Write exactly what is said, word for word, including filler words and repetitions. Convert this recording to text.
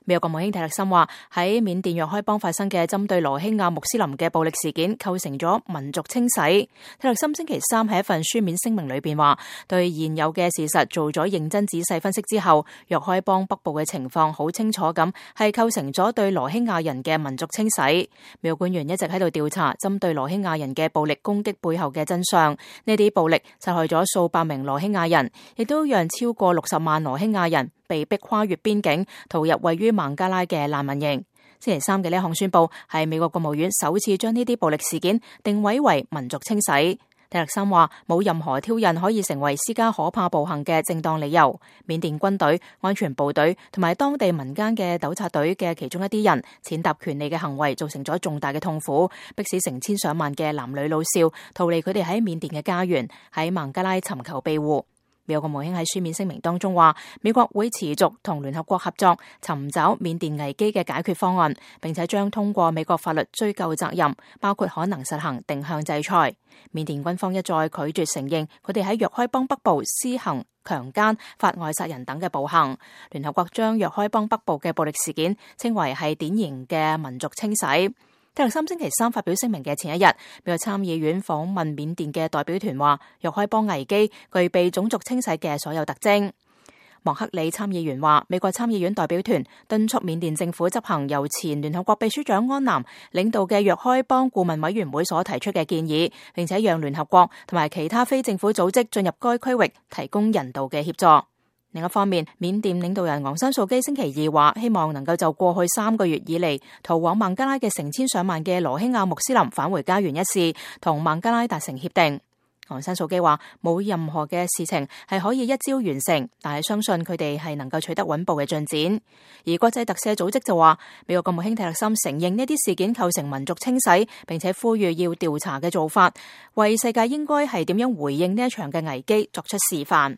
美國國務卿蒂勒森話，喺緬甸若開邦發生嘅針對羅興亞穆斯林嘅暴力事件構成咗民族清洗。蒂勒森星期三喺一份書面聲明裏邊話，對現有嘅事實做咗認真仔細分析之後，若開邦北部嘅情況好清楚咁係構成咗對羅興亞人嘅民族清洗。美國官員一直喺度調查針對羅興亞人嘅暴力攻擊背後嘅真相，呢啲暴力殺害咗數百名羅興亞人，亦都讓超過六十萬羅興亞人被迫跨越邊境逃入位於孟加拉嘅難民營。星期三嘅呢一項宣布係美國國務院首次將呢啲暴力事件定位為民族清洗。蒂勒森話，冇任何挑釁可以成為施加可怕暴行嘅正當理由。緬甸軍隊、安全部隊同埋當地民間嘅糾察隊嘅其中一啲人踐踏權利嘅行為造成咗重大嘅痛苦，迫使成千上萬嘅男女老少逃離佢哋喺緬甸嘅家園，喺孟加拉尋求庇護。美國國務卿喺書面聲明當中話，美國會持續同聯合國合作，尋找緬甸危機嘅解決方案，並且將通過美國法律追究責任，包括可能實行定向制裁。緬甸軍方一再拒絕承認佢哋喺若開邦北部施行強姦、法外殺人等嘅暴行。聯合國將若開邦北部嘅暴力事件稱為係典型嘅民族清洗。蒂勒森星期三發表聲明嘅前一日，美國參議院訪問緬甸嘅代表團話，若開邦危機具備種族清洗嘅所有特徵。莫克里參議員話，美國參議院代表團敦促緬甸政府執行由前聯合國秘書長安南領導嘅若開邦顧問委員會所提出嘅建議，並且讓聯合國同埋其他非政府組織進入該區域提供人道嘅協助。另一方面，緬甸領導人昂山素基星期二話，希望能夠就過去三個月以嚟逃往孟加拉嘅成千上萬嘅羅興亞穆斯林返回家園一事，同孟加拉達成協定。昂山素基話，冇任何嘅事情係可以一朝完成，但係相信佢哋係能夠取得穩步嘅進展。而國際特赦組織就話，美國國務卿蒂勒森承認呢啲事件構成民族清洗，並且呼籲要調查嘅做法，為世界應該係點樣回應呢一場嘅危機作出示範。